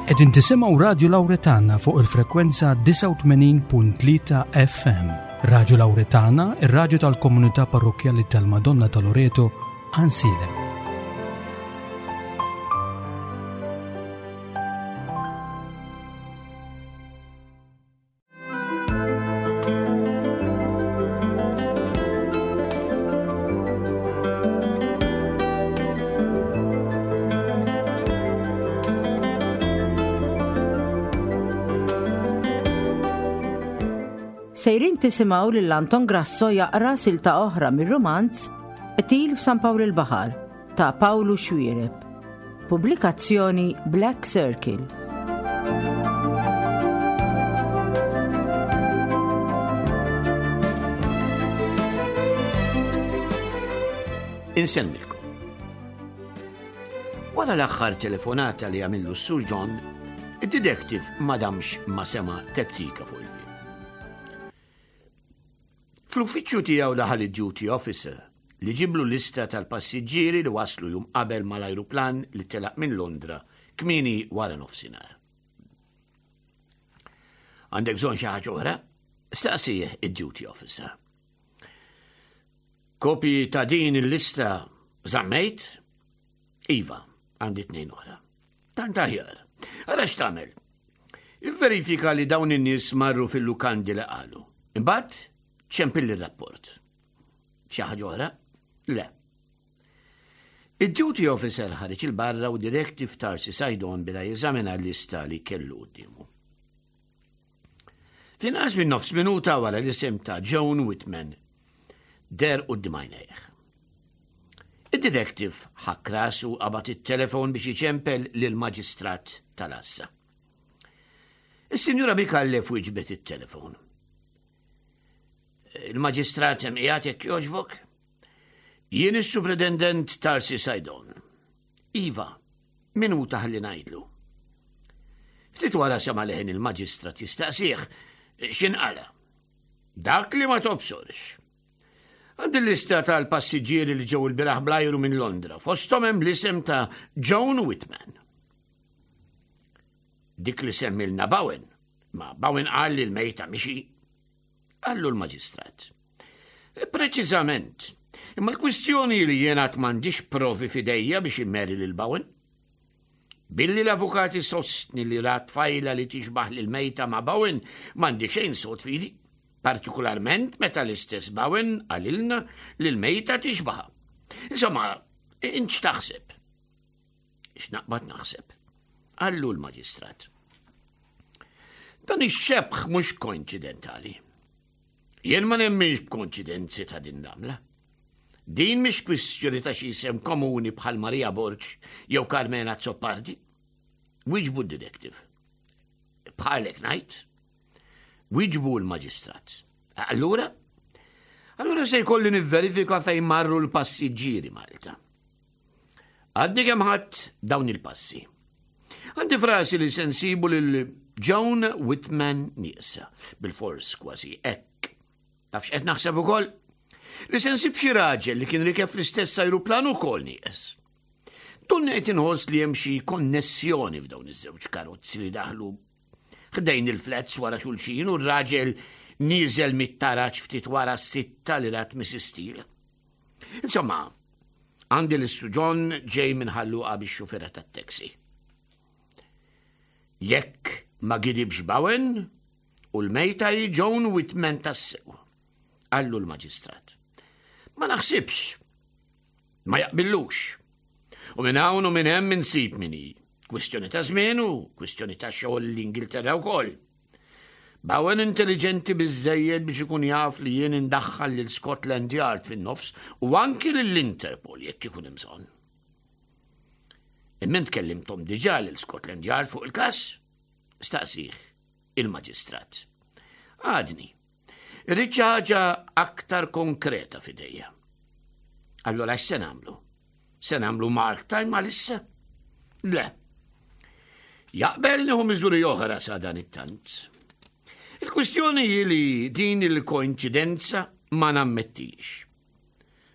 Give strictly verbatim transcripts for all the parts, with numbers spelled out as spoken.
Qegħdin tisimgħu Radio Lauretana fuq il-frekwenza disgħa u tmenin punt tlieta F M. Radio Lauretana, ir-raġu tal-komunità parrokjali tal-Madonna ta' Loreto, Għajnsielem. Sejrin tisimgħu lil Anton Grasso jaqra silta oħra mir-romanz Qtil f'San Pawl il-Baħar ta' Pawlu Xuereb. Pubblikazzjoni Black Circle. Insemmilkom. Wara l-aħħar telefonata li għamillu s-Sur John, id-detective ma damx ma sema tektika fuq il-bieb. Fl-uffiċċju tiegħu daħal id-duty officer li ġiblu lista tal-passiġġieri li waslu jum qabel mal-ajruplan li telaq minn Londra kmieni wara nofsinhar. "Għandek bżonn xi ħaġa oħra?" staqsih id-duty officer. "Kopji ta' din il-lista żammejt?" "Iva, għandi tnejn oħra." "Tant aħjar. Ara x'tagħmel. Ivverifika li dawn in-nies marru fil-lukandi li qalu. Imbagħad ċempilli r-rapport. Xi ħaġa oħra?" "Le." Id-duty officer ħareġ 'il barra u detective Tarsi Saydon beda jeżamina l-lista li kellu quddiemu. F'inqas minn nofs minuta wara, l-isem ta' Joan Whitman deher quddiem għajnejh. Id-detective ħakk rasu, qabad it-telefon biex iċempel lil-maġistrat tal-Għassa. Is-Sinjura Micallef wieġbet it-telefon. "Il-maġistrat hemm qiegħed, jekk jogħġbok? Jien is-Superintendent Tarsi Saydon." "Iva, minuta ħalli ngħidlu." Ftit wara sema leħen il-maġistrat jistaqsih x'inqala. "Dak li ma tobsorx. Għandi l-lista tal-passiġġieri li ġew il-bieraħ bl-ajru minn Londra. Fosthom hemm l-isem ta' Joan Whitman." "Dik li semmilna Bowen. Ma Bowen qal li l-mejta mhix hi," qallu l-maġistrat. "Preċiżament. Imma l-kwistjoni li jiena m'għandix provi f'idejja biex immeri lil Bowen. Billi l-avukati sostni li rat tfajla li tixbaħ lil mejta ma' Bowen, m'għandi xejn sod f'idi. Partikolarment meta l-istess Bowen qalilna li l-mejta tixbaħha. Insomma, int x'taħseb?" "X'naqbad naħseb?" qallu l-maġistrat. "Dan ix-xebħ mhux koinċidentali. Jien ma nemminx b'koinċidenzi ta' din l-għamla. Din mhix kwistjoni ta' xi isem komuni bħal Maria Borg jew Carmena Zoppardi," wieġbu d-detective. "Bħalek ngħid," wieġbu l-maġistrat. "Allura? Allura se jkolli nivverifika fejn marru l-passiġġieri Malta. Għadni kemm ħadt dawn il-passi. Għandi f'rasi li se nsibu lil Joan Whitman nieqsa, bil-fors kważi hekk. Taf x'qed naħseb ukoll? Li se nsib xi raġel li kien rikeb fl-istess ajruplan ukoll nieqes. Donni qed inħoss li hemm xi konnessjoni f'dawn iż-żewġ karozzi li daħlu ħdejn il-flats wara xulxin u r-raġel nieżel mit-taraġ ftit wara s-sitta li rat Missus Steele. Insomma, għandi lis-Sur John ġej minn Ħal Luqa bix-xufera tat-taxi. Jekk ma gidibx Bowen u l-mejta hi Joan Whitman tassew," qallu l-maġistrat. "Ma naħsibx. Ma jaqbillux. U minn hawn u minn hemm insib min hi. Kwistjoni ta' żmien u kwistjoni ta' xogħol l-Ingilterra wkoll. Bowen intelligenti biżejjed biex ikun jaf li jien indaħħal lil Scotland Yard fin-nofs u anki lill-Interpol jekk ikun hemm bżonn." "Imma int kellimthom diġà lil Scotland Yard fuq il-każ?" staqsih il-maġistrat. "Għadni. Irrid xi ħaġa aktar konkreta f'idejja." "Allora x'se nagħmlu? Se nagħmlu mark time għalissa?" "Le. Jaqbel nieħu miżuri oħra sa dan it-tant. Il-kwistjoni hi li din il-koinċidenza ma nammettix.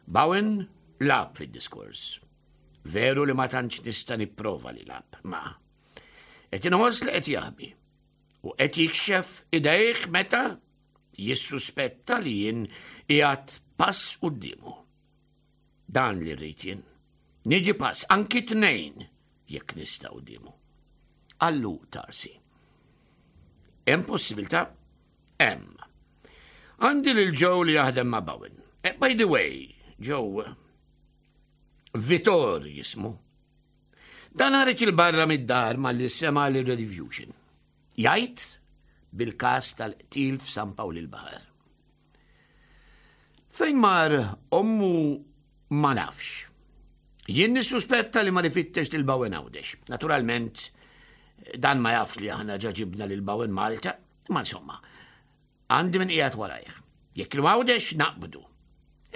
Bowen lagħab fid-diskors. Veru li ma tantx nista' nipprova li lagħab, ma Qed inħoss li qed jaħbi. U qed jikxef idejh meta jissuspetta li jien qiegħed pass quddiemu. Dan li rrid jien. Niġi pass anki tnejn jekk nista' quddiemu. Qallu Tarsi. Hemm possibilità? Hemm. Għandi lil Joe li jaħdem ma' Bowen. Eh, by the way, Joe, Vitor jismu. Dan ħareġ 'il barra mid-dar malli sema' l-Rediffusion. Jgħid bil-kas tal-qtil f'San Pawl il-Baħar. Fejn mar ommu ma nafx. Jien nissuspetta li mar ifittex lil Bowen Għawdex. Naturalment, dan ma jafx li aħna ġa ġibna lil Bowen Malta, ma insomma, għandi min qiegħed warajh. Jekk il-Għawdex naqbdu.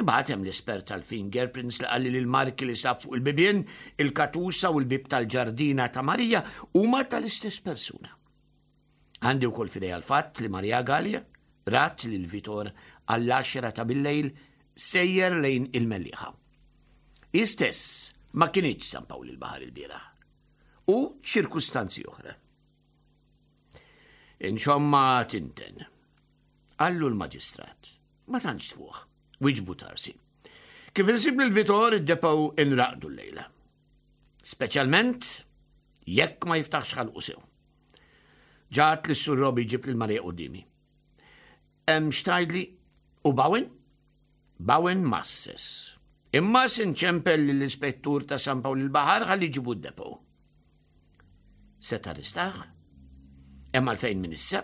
Imbagħad hemm l-espert tal-fingerprints li qalli li l-marki li sab fuq il-bibien, il-katusa u l-bib tal-ġardina ta' Marija huma tal-istess persuna. Għandi wkoll f'idejja l-fatt li Maria Gallia rat lil Vitor għall-għaxra ta' billejl sejjer lejn il-Mellieħa. Istess ma kinitx San Pawl il-Baħar il-bieraħ. U ċirkustanzi oħra. Insomma tinten. Qallu l-maġistrat. Ma tantx tfuħ. Wieġbu Tarsi. Kif insib lil Vitor id-depot inraqdu l-lejla. Speċjalment jekk ma jiftaħx ħalqu sew. Ġat li s-sur Robi ġib lil Marija quddiemi. Hemm x'tgħidli u Bowen? Bowen masses. Imma sinċempel l-ispettur ta' San Pawl il-Baħar ħalli ġibu d-depot. Se tarrestah? Hemm għalfejn minn issa?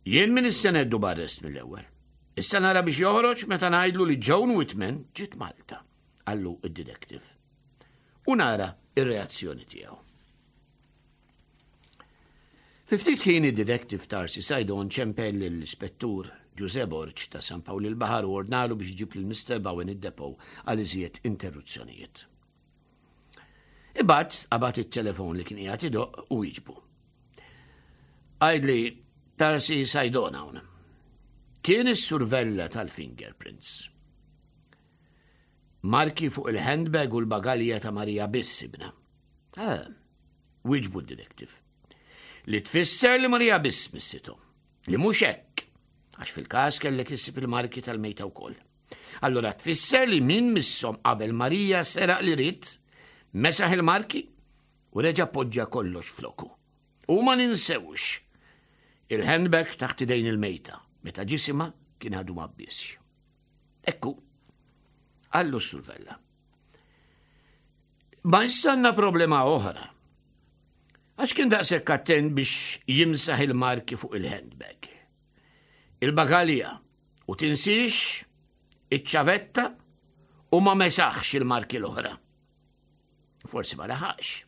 Jien minn issa nheddu b'arrest mill-ewwel. Issa nara biex joħroġ meta ngħidlu li Joan Whitman ġiet Malta, qallu id-detective. U nara ir-reazzjoni tiegħu. Fi ftit ħin id-detective Tarsi Saydon ċempel l-ispettur Ġuże Borg ta' San Pawl il-Baħar u ordnalu biex iġib lil Mister Bowen id-depot għal iżjed interruzzjonijiet. Imbagħad qabad it-telefon li kien qiegħed idoqq u wieġbu. Għidli Tarsi Saydon hawn. Kien is-Sur Vella tal-fingerprints. Marki fuq il-handbag u l-bagalja ta' Marija biss sibna. Ah, wieġbu d-detective. Li tfisser li Marija biss missithom. Li mhux hekk, għax fil-każ kellek issib il-marki tal-mejta wkoll. Allora tfisser li min misshom qabel Marija seraq li ried, mesaħ il-marki u reġa' poġġa kollox floku. U ma ninsewx il-handbag taħt idejn il-mejta, meta ġisima kien għadu ma bbisx. Ekku, qallu s-Sur Vella. Ma issa għandna problema oħra. Għax kien daqshekk attent biex jimsaħ il-marki fuq il-handbag. Il-bagalja u tinsiex iċ-ċavetta u ma mesaħx il-marki l-oħra. Forsi ma laħaqx,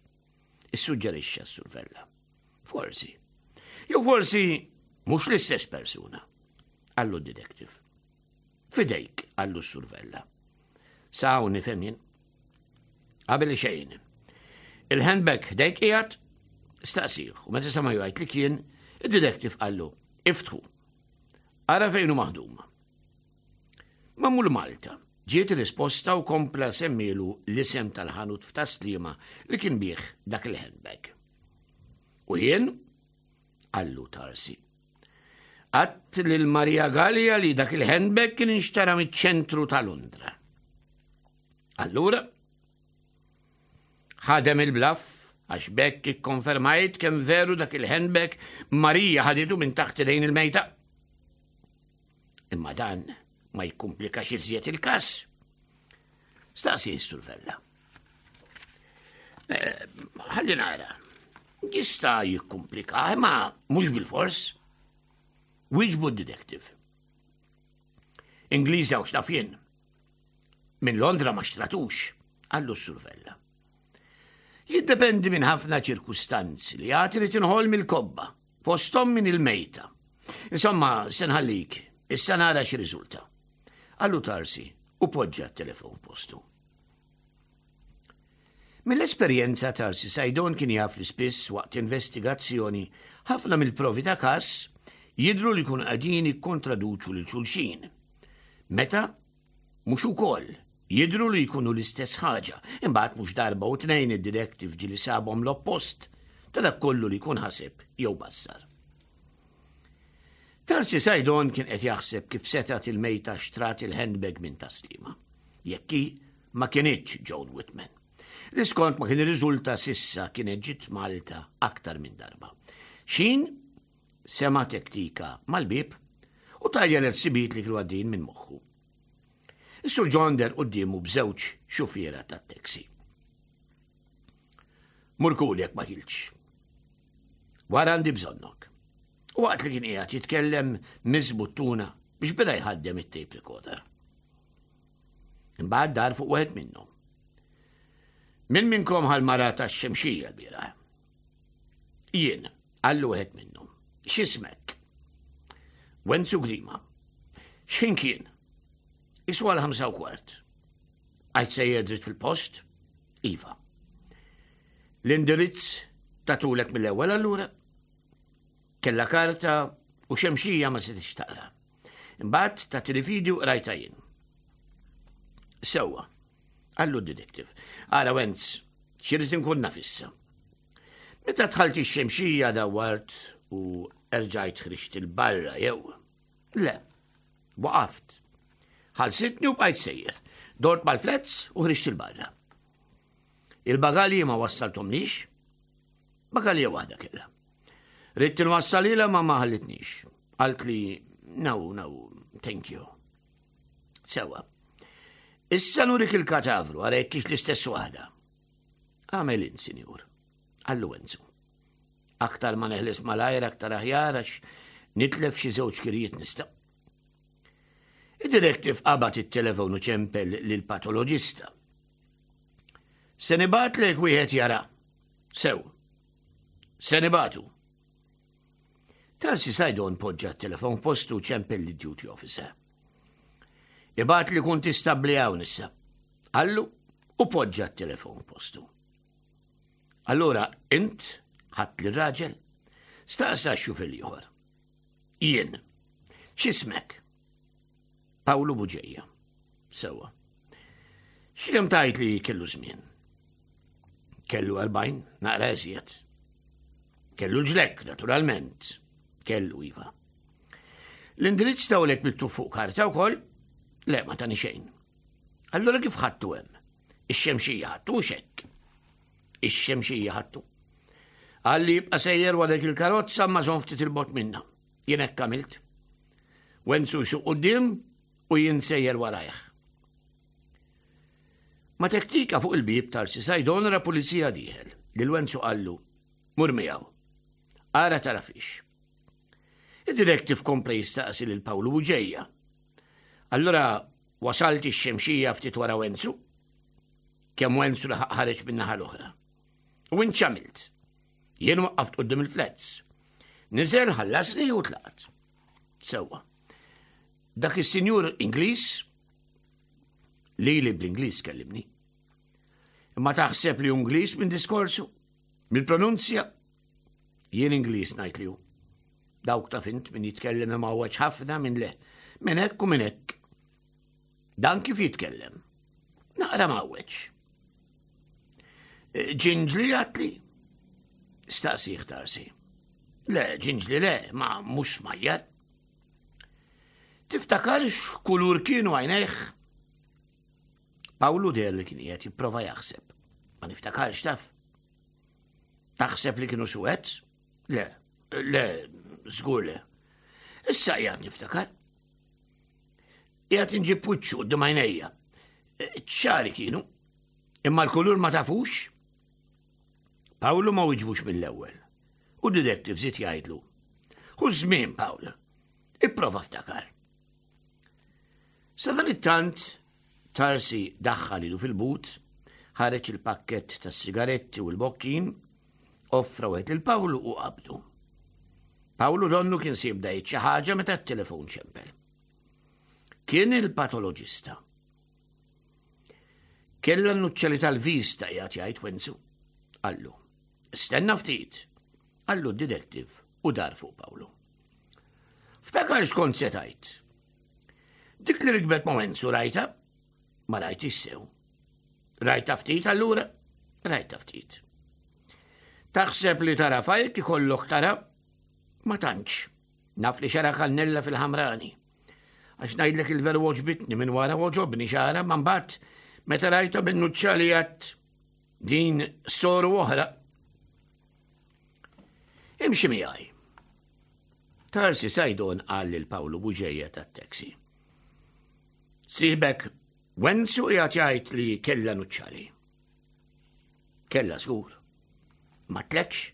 issuġġerixxa s-Sur Vella. Forsi. Jew forsi mhux l-istess persuna, qallu d-detective. Fidejk, qallu s-Sur Vella. Sa hawn nifhem jien. Qabel xejn. Il-handbag ħdejk qiegħed, staqsih, u meta sama jgħid li kien, id-detective qallu, iftħu. Ara fejn hu maħdum. Magħmul Malta. Ġiet risposta u kompla semmielu l-isem tal-ħanut f'Tas-Sliema li kien bih dak il-handbag. U jien, qallu Tarsi, għedt lil Maria Gallia li dak il-handbag kien inxtara miċ-ċentru ta' Londra. Allura, ħadem il-bluff għax b'hekk ikkonfermajt kemm veru dak il-handbag Marija ħaditu minn taħt idejn il-mejta. Imma dan ma jikkomplikax iżjed il-kas. Staqsi s-Sur Vella. Ħalli nara. Jista' jikkomplika, imma mhux bil-fors. Wieġbu d-detective. Ingliża u x'naf jien. Minn Londra ma xtratux, qallu s-Sur Vella. Jiddependi minn ħafna ċirkustanzi li għad irid inħoll mill-kobba, fosthom minn il-mejta. Insomma, se nħallik, issa nara x'riżulta. Qallu Tarsi u poġġa t-telefon postu. Mill-esperjenza Tarsi Saydon kien jaf li spiss waqt investigazzjoni ħafna mill-provi ta' kas jidru li kun qegħdin jikkontraduċu lil xulxin. Meta mhux ukoll jidru li jkunu l-istess ħaġa, imbagħad mhux darba u tnejn id-detective ġieli sabhom l-oppost ta' dak kollu li jkun ħaseb jew bassar. Tarsi Sajdon kien qed jaħseb kif setgħet il-mejta xtrat il-handbag minn Tas-Sliema. Jekk hi ma kinitx Joan Whitman. Li skont ma kien irriżulta s'issa kienet ġiet Malta aktar minn darba. Xin sema tektika mal-bib u tajjar il-ħsibijiet li kienu għaddejjin minn moħħu. Is-Sur John deher quddiemu b'żewġ xufiera tat-taxi. Mur kul jekk ma kiltx. Wara għandi bżonnok. U waqt li kien qiegħed jitkellem miss buttuna biex beda jħaddem it-tape recorder. Imbagħad dar fuq wieħed minnhom. Min minnkom ħa l-mara tax-Xemxija l-bieraħ? Jien, qallu wieħed minnhom. X'ismek? Wenzu Grima. X'ħin kien? Iswa l-ħamsa u kwart. Għajt sejjer dritt fil-post? Iva. L-indirizz tatulek mill-ewwel allura? Kella karta u Xemxija ma setgħetx taqra. Imbagħad ta' televideo rajta jien. Sewwa, qallu d-detective. Ara Wenz, x'irrid inkun naf issa. Meta dħalt ix-Xemxija dawart u erġajt ħriġt 'il barra jew. Le, waqaft. Ħallsitni u bqajt sejjer. Dort mal-flats u ħriġt 'il barra. Il-bagalji ma wassaltomlix? Bagalja waħda kella. Ridt nwassalilha ma ma ħallitnix. Qaltli, no, no, thank you. Sewwa. Issa nurik il-katavru, ara jekk hix l-istess waħda. Għamel int, sinjur. Qallu Wenzu. Aktar ma neħles malajr, aktar aħjar, għax nitlef xi żewġ kirijiet nista'. Id-detective qabad it-telefon u ċempel lill-patoloġista. Se nibgħatlek wieħed jara. Sew. Se nibagħtu. Tarsi Sajdon poġġa t-telefon postu ċempel lid-duty officer. Ibgħatli kuntistabbli hawn issa. Qallu u poġġa t-telefon postu. Allura, int ħadt lir-raġel? Staqsa x-xufier l-ieħor. Jien. X'ismek? Pawlu Buġeja. Sewwa. X'kemm tgħid li kellu żmien? Kellu erbgħin, naqra eżjed. Kellu l-ġlekk, naturalment. Kellu iva. L-indirizz tawlek miktub fuq karta wkoll? Le, ma tani xejn. Allura kif ħadtu hemm? Ix-Xemxija ħadtu xekk. Ix-Xemxija ħadtu. Qalli ibqa' sejjer wara dik il-karozza ma żomm ftit 'il bogħod minna. Jien hekk għamilt. Wenzu jsuq quddiem u jien sejjer warajh. Ma tektika fuq il-bib Tarsi Sajdon ra pulizija dieħel. Lil Wenzu qallu, mur miegħu. Ara tara fiex. Id-detective kompla jistaqsi lil Pawlu Buġeja. Allura wasalt ix-Xemxija ftit wara Wenzu? Kemm Wenzu laħaq ħareġ min-naħa l-oħra. U int x'għamilt? Jien waqqaft quddiem il-flats. Niżel ħallasni u tlaqt. Sewwa. Dak is-sinjur Ingliż li li bl-Ingliż kellimni. Imma taħseb li Ingliż minn diskorsu? Mill-pronunzja? Jien Ingliż ngħid li hu. Dawk taf int min jitkellem imgħawweġ ħafna minn le. Minn hekk u minn hekk. Dan kif jitkellem? Naqra mgħawweġ. Ġinġli għedtli? Staqsieh Tarsi. Le, ġinġli le, ma mhux smajjar. Tiftakar x'kulur kienu għajnejh? Pawlu deher li kien qiegħed jipprova jaħseb. Ma niftakarx taf. Taħseb li kienu suwed? Le, le, żgur le. Issa qiegħed niftakar. Qiegħed inġib wiċċu quddiem għajnejja. ċari kienu. Imma l-kulur ma tafux? Pawlu ma wiġbux mill-ewwel. U detective żied jgħidlu. Ħu żmien, Pawl. Ipprova ftakar. Sadanittant Tarsi daħħal idu fil-but, ħareġ il-pakket tas sigaretti u l-bokkin, offra wieħed lil Pawlu u qabdu. Pawlu donnu kien se jibda xi ħaġa meta t-telefon ċempel. Kien il-patoloġista. Kella n-nuċċali tal-vista qiegħed jgħid Wenzu. Qallu. Stenna ftit. Qallu d-detective u dar fuq Pawlu. Ftakar x'kont se tgħid. Dik li rikbet ma' Wenzu rajta? Ma rajtix sew. Rajta ftit allura? Rajta ftit. Taħseb li tarafa jekk ikollok tara? Ma tantx. Naf li xara kannella fil-ħamrani. Għax ngħidlek il-veru għoġbitni minn wara għoġobni xara, ma mbagħad meta rajta bin-nuċċali għat din soru oħra. Imxi miegħi. Tarsi Sajdon qal lil Pawlu Buġeja tat-taxi. Sibek Wenzu qiegħed jgħid li kella nuċċali. Kella żgur. Ma tlekx?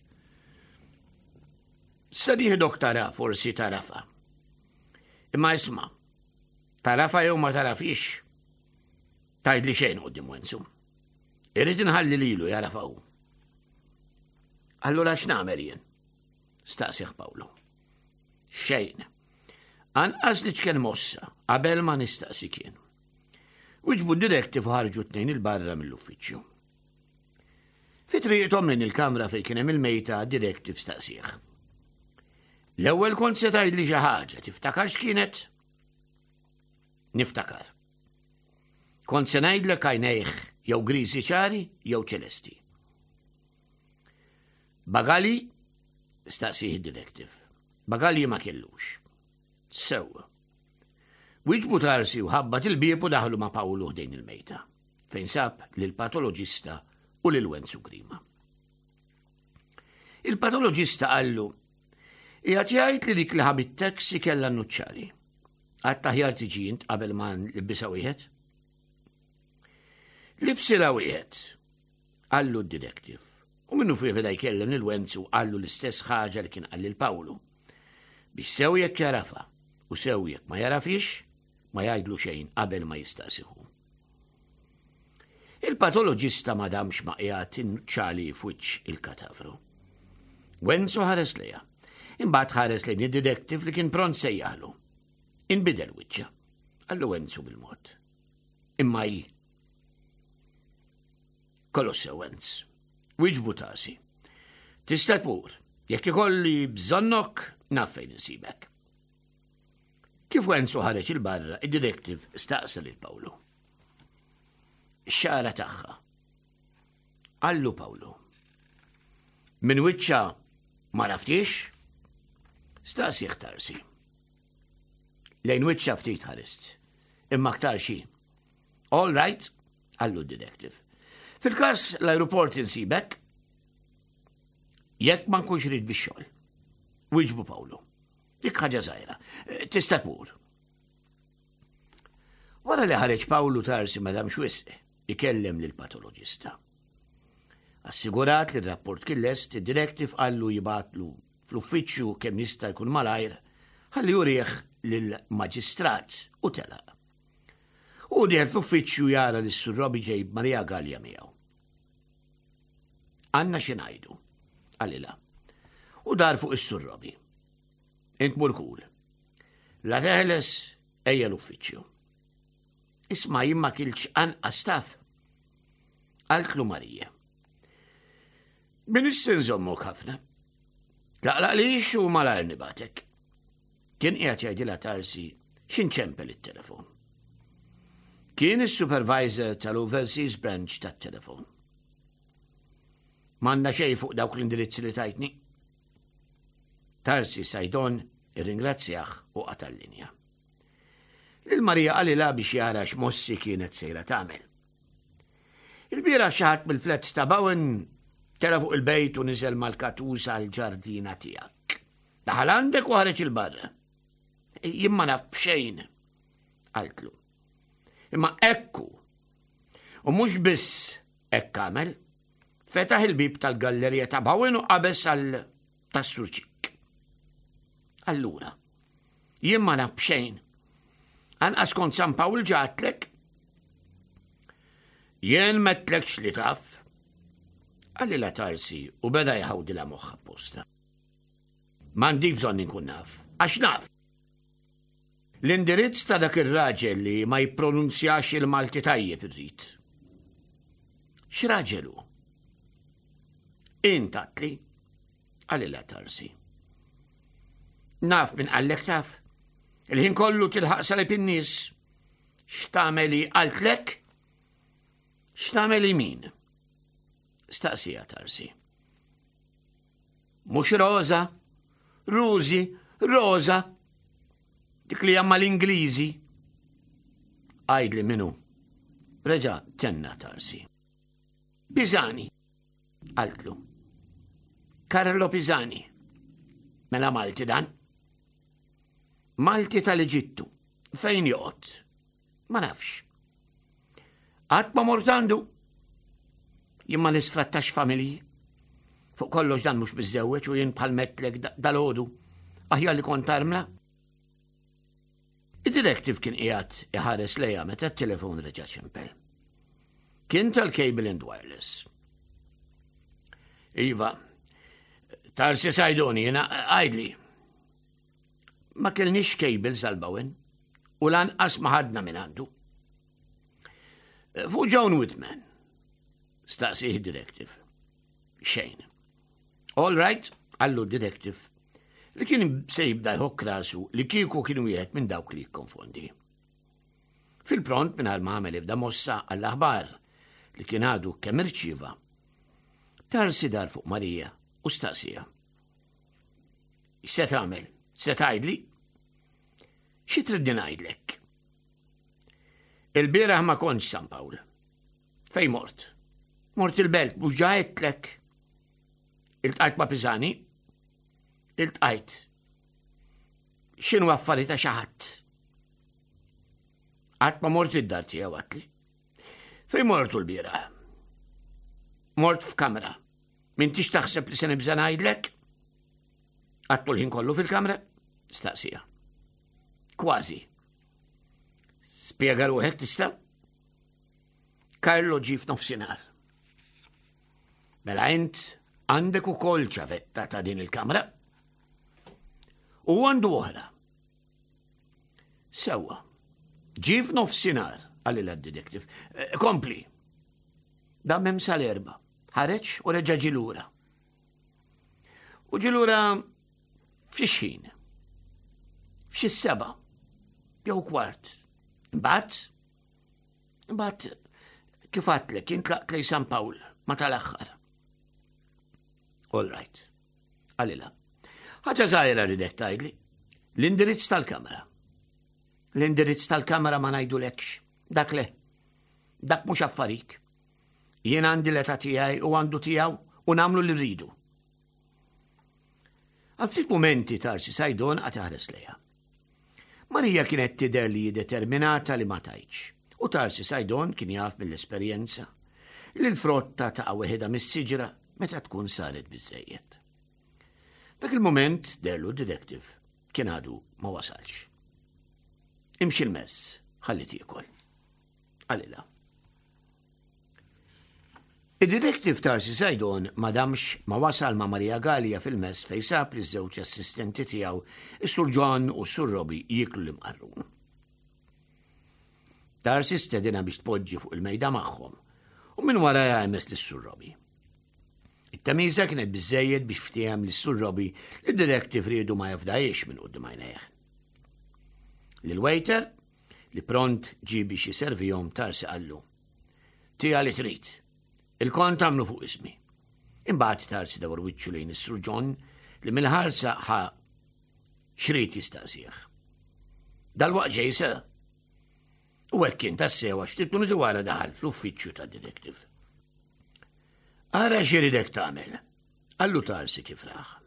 Se nieħdok tara forsi tarafa. Imma isma' tarafa jew ma tarafix. Tgħidli xejn quddiem Wenzu. Irrid inħalli lilu jarafa hu. Allura x'nagħmel jien? Staqsih Pawlu. Xejn. Anqas li ċken mossa qabel ma nistaqsi kien. Wiġbu d-detective ħarġu tnejn il-barra mill-uffiċċju. Fi triqthom lejn il-kamra fejn kien hemm il-mejta, detective staqsih. L-ewwel kont se tgħidli xi ħaġa, tiftakar x'kienet? Niftakar. Kont se ngħidlek għajnejh jew griżi ċari jew ċelesti. Bagali? Staqsih id-detective. Bagali ma kellux. Sewwa. Wiġbu Tarsi u ħabbat il-bieb u daħlu ma' Pawlu ħdejn il-mejta, fejn sab lill-patoloġista u lil Wenzu Grima. Il-patoloġista qallu, qiegħed jgħid li dik li ħabit taxi kellha nuċċali. Għad aħjar tiġi int qabel ma nlibbisha wieħed? Libsilha wieħed, qallu d-detective. U minnu fih beda jkellem lil Wenzu qallu l-istess ħaġa li kien qal lil Pawlu. Biex sew jekk jarafa u sew jekk ma jarafix, ma jgħidlu xejn qabel ma jistaqsihu. Il-patoloġista ma damx ma qiegħed inċali f'wiċċ il-katavru. Wenzu ħares lejha. Imbagħad ħares lejn id-detective li kien pront sejjaħlu. Inbidel wiċċha. Qallu Wenzu bil-mod. Imma hi. Kollox sew Wenz. Wiġbu Tarsi. Tista' tmur. Jekk ikolli bżonnok, naf fejn insibek. Kif Wenzu ħareġ il-barra, id-detective staqsa lil Pawlu. Xara tagħha. Qallu Pawlu. Min wiċċha ma raftix? Staqsih Tarsi. Lejn wiċċha ftit ħarist. Imma aktar xi. All right, qallu d-detective. Fil-kas l-aeroport insibek, jekk ma nkunx rid bix-xogħol. Wiġbu Pawlu. Dik ħaġa żgħira. Tista' tmur. Wara li ħareġ Pawlu Tarsi ma damx wisq ikellem lil patoloġista. Assigurat li r-rapport kien lest, id-detective qallu jibgħatlu fl-uffiċċju kemm jista' jkun malajr, ħalli jurih lill-maġistrat u telaq. U dieħel fl-uffiċċju jara li s-Sur Robi ġejb Maria Gallia miegħu. Għandna xi ngħidu, qalilha. U dar fuq is-Sur Robi. Int mur kul. La teħles ejja l-uffiċċju. Isma' jien ma kiltx anqas taf. Qaltlu Marija. Min issa nżommok ħafna. Tlaqlaqlix u malajr nibgħatek. Kien qiegħed jgħidilha Tarsi x'inċempel it-telefon. Kien is-supervisor tal-Overseas Branch tat-telefon. M'għandna xejn fuq dawk l-indirizzi li tajtni. Tarsi Sajdon irringrazzjah u qata' l-linja. Lil Marija qalilha biex jara x'mossi kienet sejra tagħmel. Il-bieraħ xi ħadd mill-flats ta' Bowen tela fuq il-bejt u niżel mal-katus għal-ġardina tiegħek. Daħal għandek u ħareġ il-barra. Jien ma naf b'xejn, qaltlu. Imma ekku. U mhux biss hekk għamel, fetaħ il-bib tal-gallerija ta' Bowen u qabeż għal tas-surċik. Allura, jien ma naf b'xejn. Anqas kont San Pawl ġatlek. Jien m'għedtlekx li taf. Qalilha Tarsi u beda jħawdilha moħħha apposta. M'għandi bżonn inkun naf, għax naf. L-indirizz ta' dak ir-raġel li ma jippronunzjax il-Malti tajjeb irrid. X'raġel hu? Int għedtli, qalilha Tarsi. Naf min qallek taf. Il-ħin kollu tilħaq salib in-nies. X'tagħmeli qaltlek? X'tagħmeli min? Staqsija Tarsi. Mhux Rosa, Rużi, Rosa. Dik li jamma l-Ingliżi. Għidli min hu. Reġa' tenna Tarsi. Pisani, qaltlu. Carlo Pisani. Mela Malti dan? Malti tal-Eġittu. Fejn joqgħod? Ma nafx. Qatt ma mort għandu. Jien ma nisfrattax familji. Fuq kollox dan mhux miżżewweġ u jien bħal m'għedtlek dalgħodu. Aħjar li kont armla. Id-detective kien qiegħed iħares lejha meta t-telefon reġa' ċempel. Kien tal-Cable and Wireless. Iva, Tarsi Sajdoni, jiena għidli. Ma kellniex cables għal Bowen u lanqas ma ħadna minn għandu. Fuq John Whitman, staqsieh detective. Xejn. All right, qallu detective, li kien se jibda jħokk rasu li kieku kien wieħed minn dawk li jikkonfondi. Fil-pront minn ma għamel ebda mossa għall-aħbar li kien għadu kemm irċieva. Tarsi dar fuq Marija u staqsiha. Se tagħmel? Se tgħidli? Xi tridni ngħidlek? Il-bieraħ ma kontx San Pawl. Fej mort? Mort il-belt, mhux ġa għedtlek. Iltqajt ma' Pisani? Iltqajt. X'inhu affari ta' xi ħadd? Qatt ma mort id-dar tiegħu għedtli. Fej mortu l-bieraħ? Mort f'kamra. M'intix taħseb li se nibża' ngħidlek? Qgħadtu l-ħin kollu fil-kamra? Staqsiha. Kważi. Spjega ruħek tista'? Carlo ġie f'nofsinhar. Mela int għandek ukoll ċavetta ta' din il-kamra? U għandu oħra. Sewwa. Ġie f'nofsinhar, qalilha d-detective. Eh, kompli. Dam hemm sal-erbgħa. Ħareġ u reġa' ġie lura. U ġie lura f'xi ħin. F'xi sebgħa. Jew kwart. Imbagħad, imbagħad kif għedtlek, jien tlaqt lejn San Pawl, ma tal-aħħar. All right. Qalilha. Ħaġa żgħira rridek tgħidli. L-indirizz tal-kamra. L-indirizz tal-kamra ma ngħidulekx. Dak le. Dak mhux affarik. Jien għandi l-età tiegħi u għandu tiegħu u nagħmlu li rridu. Għal ftit momenti Tarsi Sajdon qagħad iħares lejha. Marija kienet tidher li determinata li ma tgħidx. U Tarsi Sajdon kien jaf mill-esperjenza li l-frotta taqa' weħidha mis-siġra meta tkun saret biżejjed. Dak il-moment deherlu detective kien għadu ma wasalx. Imxi l-mess, ħalli tiekol. Qalilha. Id-detective Tarsi Sajdon ma damx ma wasal ma' Maria Gallia fil-mess fej sab li żewġ assistenti tiegħu, is-Sur John u s-Sur Robbie jieklu l-imqarrun. Tarsi stedinha biex tpoġġi fuq il-mejda magħhom u minn wara jgħemes lis-Sur Robbie. It-tamiża kienet biżejjed biex ftiehem lis-Sur Robbie li d-detective riedu ma jafdajiex minn quddiem għajnejh. Lil-waiter li pront ġie biex jiservihom Tarsi qallu. Tija li trid. Il-kont għamlu fuq ismi. Imbagħad Tarsi dawar wiċċu lejn is-Sur John li mill-ħarsa ħa x'ried jistaqsih. Dalwaqt ġej se. U hekk kien tassew għax ftit minuti wara daħal fl-uffiċċju tad-detective. Ara x'iridek tagħmel, qallu Tarsi kif rah.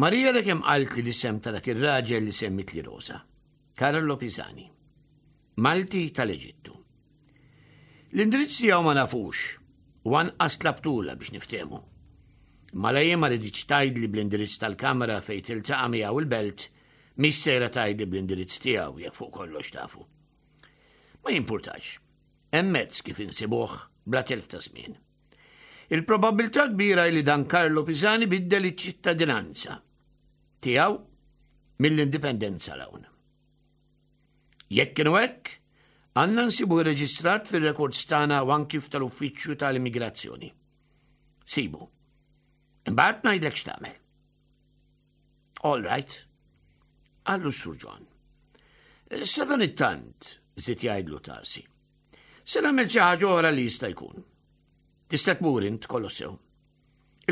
Marija dak kemm qalt li l-isem ta' dak ir-raġel li semmit li Rosa, Carlo Pisani, Malti tal-Eġittu. L-indirizz tiegħu ma nafux, u anqas tlabtula biex niftehmu. Mela jien ma riditx tgħidli bl-indirizz tal-kamra fejn tiltaqa' miegħu il-belt, mhix sejra tgħidli bl-indirizz tiegħu jekk fuq kollox tafu. Ma jimpurtax. Hemm mezz kif insibuh bla telf ta' żmien. Il-probabilità kbira li dan Carlo Pisani biddel iċ-ċittadinanza tiegħu mill-indipendenza 'l hawn. Jekk kienu hekk, għandna nsibu reġistrat fil-rekords tagħna u anki tal-uffiċċju tal-immigrazzjoni. Sibu. Imbagħad ngħidlek x'tagħmel. All right. Qallu s-Sur John. Sadanittant, żied jgħidlu Tarsi. Se nagħmel xi ħaġa oħra li jista' jkun. Tista' tmur int kollox sew.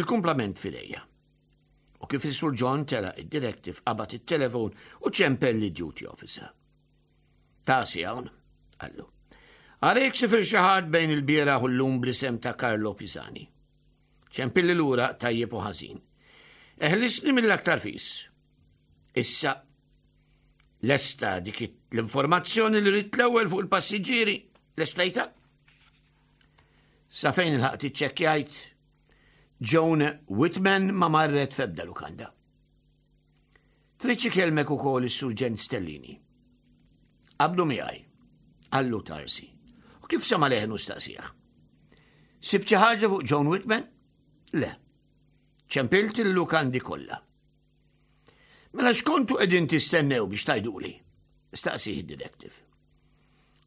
Il-kumplament f'idejja. U kif is-Sur John telaq, id-detective qabad it-telefon u ċempel lid-duty officer. "Tarsi hawn," qallu. "Għarek sifir xi ħadd bejn il-bieraħ u llum bl-isem ta' Carlo Pisani. Ċempilli lura tajjeb u ħażin. Eħlisni mill-aktar fis. Issa, lesta dik l-informazzjoni li ridt l-ewwel fuq il-passiġġieri, lestajtha? Sa fejn ilħaqt iċċekkjajt, Joan Whitman ma marret f'ebda lukanda. Trid ikellmek ukoll is-Surġent Stellini." "Qabdu miegħi," qallu Tarsi. U kif sema leħnu staqsih: "Sibt xi ħaġa fuq Joan Whitman?" "Le. Ċempilt il-lukandi kollha." "Mela x'kontu qegħdin tistennew biex tgħiduli?" staqsih id-detective.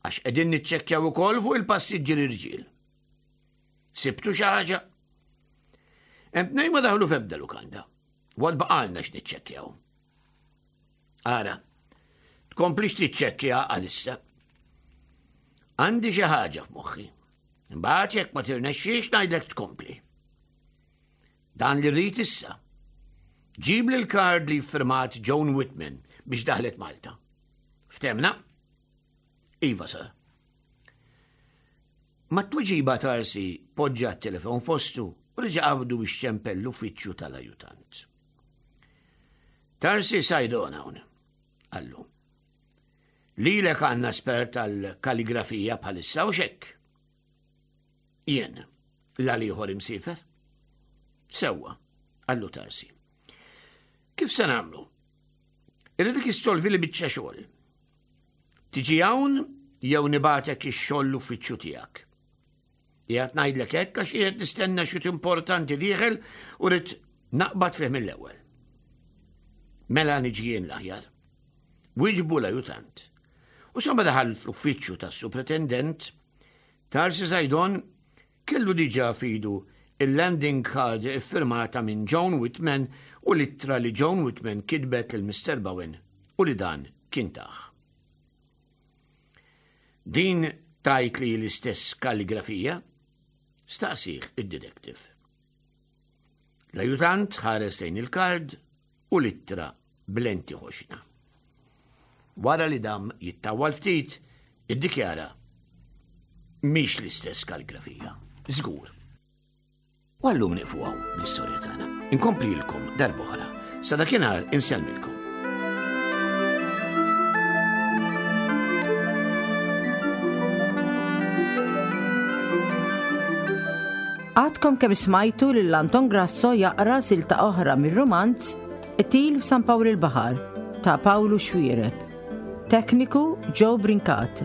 "Għax qegħdin niċċekkjaw ukoll fuq il-passiġġieri rġiel. Sibtu xi ħaġa?" "Hemm tnejn ma daħlu f'ebda lukanda. Għad baqgħalna x'niċċekkjaw." "Ara, tkomplix tiċċekkja għalissa. Għandi xi ħaġa f'moħħi. Imbagħad jekk ma tirnexxix ngħidlek tkompli. Dan li rrid issa. Ġib li l-kard li firmat Joan Whitman biex daħlet Malta. Ftehmna?" "Iva, sir." Mat-tweġiba Tarsi poġġa t-telefon postu u reġa' qabdu biex ċempel l-uffiċċju tal-ajutant. "Tarsi Saydon hawn," qallu. "Lilek għandna espert tal-kaligrafija bħalissa u xek?" "Jien, l-ieħor imsiefer." "Sewwa," qallu Tarsi. "Kif se nagħmlu? Irridek issolvi li biċċa xogħol. Tiġi hawn jew nibagħtek ix-xogħol l-uffiċċju tiegħek? Qiegħed ngħidlek hekk għax qiegħed nistenna xut importanti dieħel u rrid naqbad fih mill-ewwel." "Mela niġi jien l-aħjar," wieġbu l-ajutant. U sa ma daħal l-uffiċċju tas-supretendent, Tarsi Saydon kellu diġà f'idu il-landing card iffirmata minn Joan Whitman u l-ittra li Joan Whitman kitbet lil Mister Bowen u li dan kien tah. "Din tgħid li l-istess kalligrafija?" staqsih id-detective. L-ajutant ħares lejn il-kard u l-ittra b'lenti ħoxna. Wara li dam jittawwal ftit, iddikjara: "Mhix l-istess kalligrafija, żgur." U għal-lum nieqfu hawn bl-istorja tagħna. Inkomplilkom darb'oħra. Sa dakinhar insellmilkom. Għadkom kemm smajtu lil Anton Grasso jaqra silta oħra mir-romanz Qtil f'San Pawl il-Baħar ta' Pawlu Xuereb. Tekniku Joe Brincat.